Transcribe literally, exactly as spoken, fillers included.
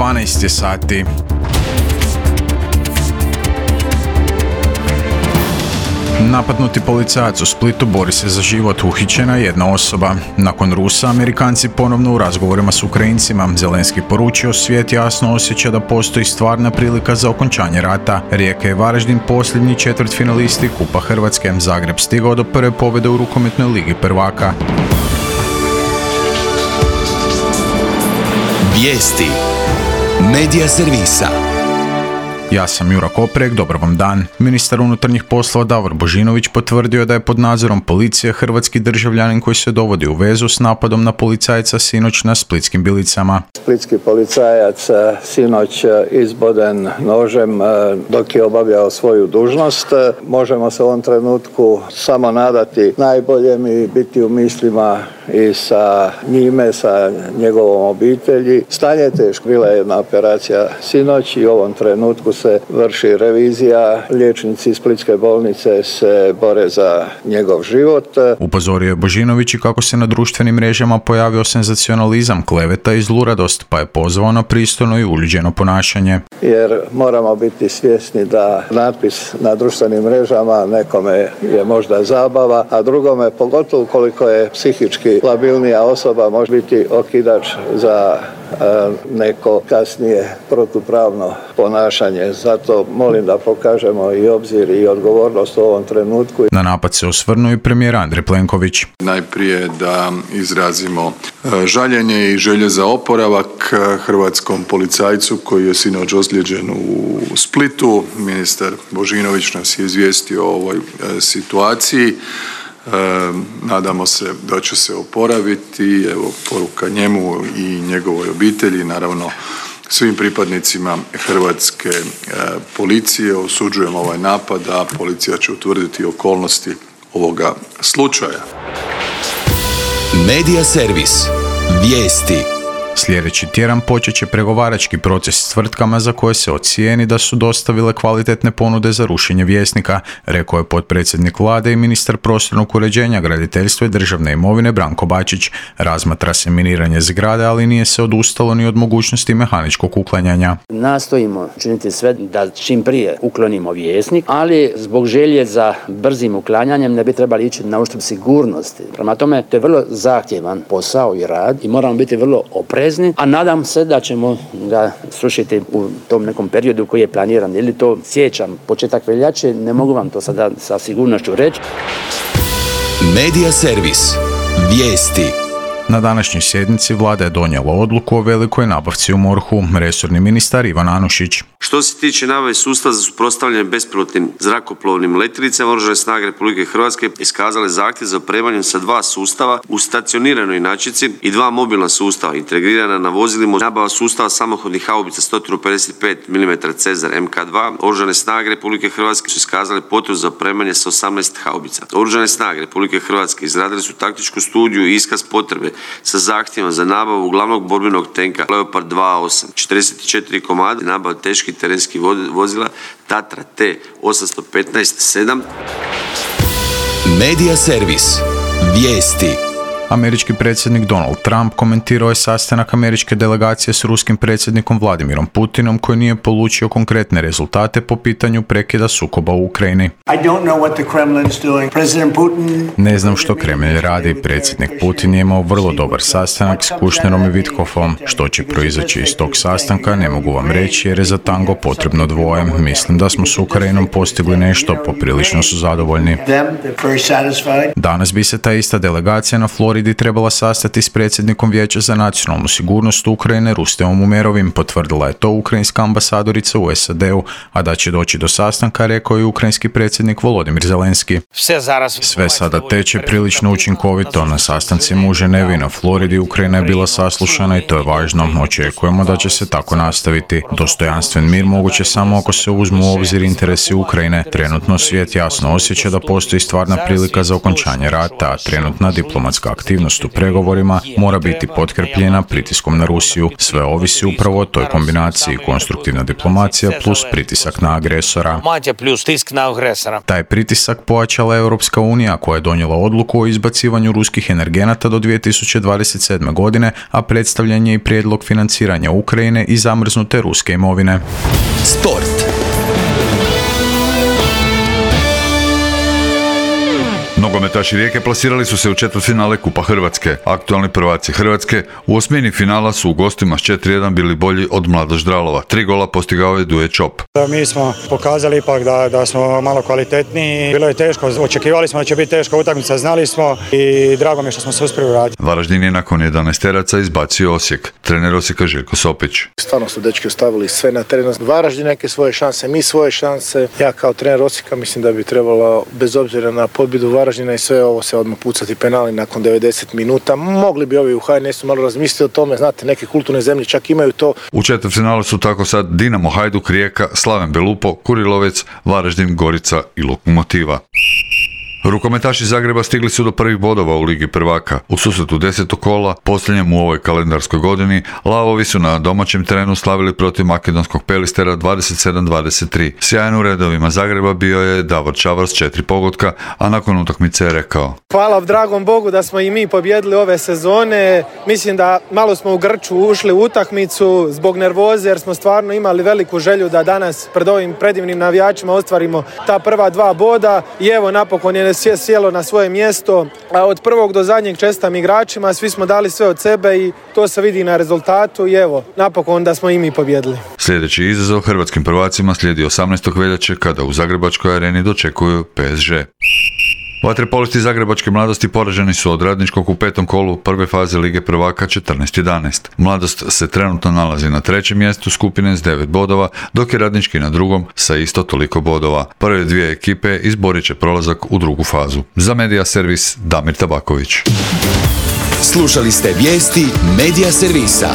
dvanaest je sati. Napadnuti policajac u Splitu bori se za život, uhićena je jedna osoba. Nakon Rusa, Amerikanci ponovno u razgovorima s Ukrajincima. Zelenski poručio, svijet jasno osjeća da postoji stvarna prilika za okončanje rata. Rijeka i Varaždin posljednji četvrtfinalisti Kupa Hrvatske. Zagreb stigao do prve pobjede u rukometnoj ligi prvaka. Vijesti Medija servisa. Ja sam Jura Koprek, dobar vam dan. Ministar unutarnjih poslova Davor Božinović potvrdio da je pod nadzorom policije hrvatski državljanin koji se dovodi u vezu s napadom na policajca sinoć na Splitskim Bilicama. Splitski policajac sinoć izboden nožem dok je obavljao svoju dužnost. Možemo se u ovom trenutku samo nadati najboljem i biti u mislima i sa njime, sa njegovom obitelji. Stanje je teško. Bila je jedna operacija sinoć i u ovom trenutku se vrši revizija. Liječnici iz Splitske bolnice se bore za njegov život. Upozorio je Božinović i kako se na društvenim mrežama pojavio senzacionalizam, kleveta i zluradost, pa je pozvao na pristojno i uljuđeno ponašanje. Jer moramo biti svjesni da natpis na društvenim mrežama nekome je možda zabava, a drugome, pogotovo koliko je psihički labilnija osoba, može biti okidač za neko kasnije protupravno ponašanje. Zato molim da pokažemo i obzir i odgovornost u ovom trenutku. Na napad se osvrnuo i premijer Andrej Plenković. Najprije da izrazimo žaljenje i želje za oporavak hrvatskom policajcu koji je sinoć ozlijeđen u Splitu. Ministar Božinović nas je izvijestio o ovoj situaciji. E, nadamo se da će se oporaviti. Evo, poruka njemu i njegovoj obitelji, naravno svim pripadnicima hrvatske e, policije. Osuđujemo ovaj napad, a policija će utvrditi okolnosti ovoga slučaja. Medija servis. Vijesti. Sljedeći tjedan počet će pregovarački proces s tvrtkama za koje se ocijeni da su dostavile kvalitetne ponude za rušenje Vjesnika, rekao je potpredsjednik vlade i ministar prostornog uređenja, graditeljstva i državne imovine Branko Bačić. Razmatra se miniranje zgrade, ali nije se odustalo ni od mogućnosti mehaničkog uklanjanja. Nastojimo činiti sve da čim prije uklonimo Vjesnik, ali zbog želje za brzim uklanjanjem ne bi trebali ići na uštrb sigurnosti. Prema tome, to je vrlo zahtjevan posao i rad i moramo biti vrlo oprezni. A nadam se da ćemo ga srušiti u tom nekom periodu koji je planiran. Ili to siječanj, početak veljače, ne mogu vam to sada sa sigurnošću reći. Medija servis. Vijesti. Na današnjoj sjednici vlada je donijela odluku o velikoj nabavci u MORH-u, resorni ministar Ivan Anušić. Što se tiče nabave sustava za suprotstavljanje bespilotnim zrakoplovnim letjelicama, Oružane snage Republike Hrvatske iskazale zahtjev za opremanjem sa dva sustava u stacioniranoj inačici i dva mobilna sustava integrirana na vozilima. Nabava sustava samohodnih haubica sto pedeset pet milimetara Cezar M K dva. Oružane snage Republike Hrvatske su iskazale potrebu za opremanje sa osamnaest haubica. Oružane snage Republike Hrvatske izradile su taktičku studiju i iskaz potrebe sa zahtjevom za nabavu glavnog borbenog tenka Leopard dva osam, četrdeset četiri komada, nabavu teških terenskih vozila Tatra T osamsto petnaest sedam. Medija servis. Vijesti. Američki predsjednik Donald Trump komentirao je sastanak američke delegacije s ruskim predsjednikom Vladimirom Putinom koji nije polučio konkretne rezultate po pitanju prekida sukoba u Ukrajini. Ne znam što Kremlj radi. Predsjednik Putin je imao vrlo dobar sastanak s Kušnerom i Witkoffom. Što će proizaći iz tog sastanka ne mogu vam reći jer je za tango potrebno dvoje. Mislim da smo s Ukrajinom postigli nešto, poprilično su zadovoljni. Danas bi se ta ista delegacija na Floridi trebala sastati s predsjednikom Vijeća za nacionalnu sigurnost Ukrajine Rusteom Umerovim, potvrdila je to ukrajinska ambasadorica u S A D-u, a da će doći do sastanka, rekao je ukrajinski predsjednik Volodimir Zelenski. Sve sada teče prilično učinkovito. Na sastancima u Ženevi na Floridi Ukrajina je bila saslušana i to je važno. Očekujemo da će se tako nastaviti. Dostojanstven mir moguće samo ako se uzmu u obzir interesi Ukrajine. Trenutno svijet jasno osjeća da postoji stvarna prilika za okončanje rata, a trenutna diplomatska aktivnost aktivnost u pregovorima mora biti potkrepljena pritiskom na Rusiju. Sve ovisi upravo o toj kombinaciji konstruktivna diplomacija plus pritisak na agresora. Taj pritisak pojačala Europska unija koja je donijela odluku o izbacivanju ruskih energenata do dvije tisuće dvadeset sedme. godine, a predstavljen je i prijedlog financiranja Ukrajine i zamrznute ruske imovine. Sport. Nogometaši Rijeke plasirali su se u četvrtfinale Kupa Hrvatske. Aktualni prvaci Hrvatske u osmini finala su u gostima s četiri jedan bili bolji od Mladost Ždralova. Tri gola postigao je Duje Čop. Mi smo pokazali ipak da, da smo malo kvalitetniji. Bilo je teško, očekivali smo da će biti teška utakmica, znali smo i drago mi je što smo se uspjeli uraditi. Varaždin je nakon jedanaesteraca izbacio Osijek. Trener Osijeka Željko Sopić. Stvarno su dečki ostavili sve na terenu. Varaždin neke svoje šanse, mi svoje šanse. Ja kao trener Osijeka mislim da bi trebalo, bez obzira na pobjedu Varaždina i sve ovo, se odmah pucati penali nakon devedeset minuta. Mogli bi ovi u H N S-u malo razmisliti o tome, znate, neke kulturne zemlje čak imaju to. U četvrtfinalu su tako sad Dinamo, Hajduk, Rijeka, Slaven Belupo, Kurilovec, Varaždin, Gorica i Lokomotiva. Rukometaši Zagreba stigli su do prvih bodova u Ligi prvaka. U susretu desetog kola, posljednjem u ovoj kalendarskoj godini, Lavovi su na domaćem terenu slavili protiv makedonskog Pelistera dvadeset sedam dvadeset tri. Sjajan u redovima Zagreba bio je Davor Čavar s četiri pogotka, a nakon utakmice je rekao: Hvala dragom Bogu da smo i mi pobjedili ove sezone. Mislim da malo smo u grču ušli u utakmicu zbog nervoze, jer smo stvarno imali veliku želju da danas pred ovim predivnim navijačima ostvarimo ta prva dva boda i evo napokon je sjelo na svoje mjesto, a od prvog do zadnjeg čestitam igračima, svi smo dali sve od sebe i to se vidi na rezultatu i evo, napokon da smo i mi pobjedili. Sljedeći izazov hrvatskim prvacima slijedi osamnaestog veljače kada u Zagrebačkoj areni dočekuju P S G. Vaterpolisti Zagrebačke Mladosti poraženi su od Radničkog u petom kolu prve faze Lige prvaka četrnaest jedanaest. Mladost se trenutno nalazi na trećem mjestu skupine s devet bodova, dok je Radnički na drugom sa isto toliko bodova. Prve dvije ekipe izborit će prolazak u drugu fazu. Za Medija Servis Damir Tabaković. Slušali ste vijesti Medija Servisa.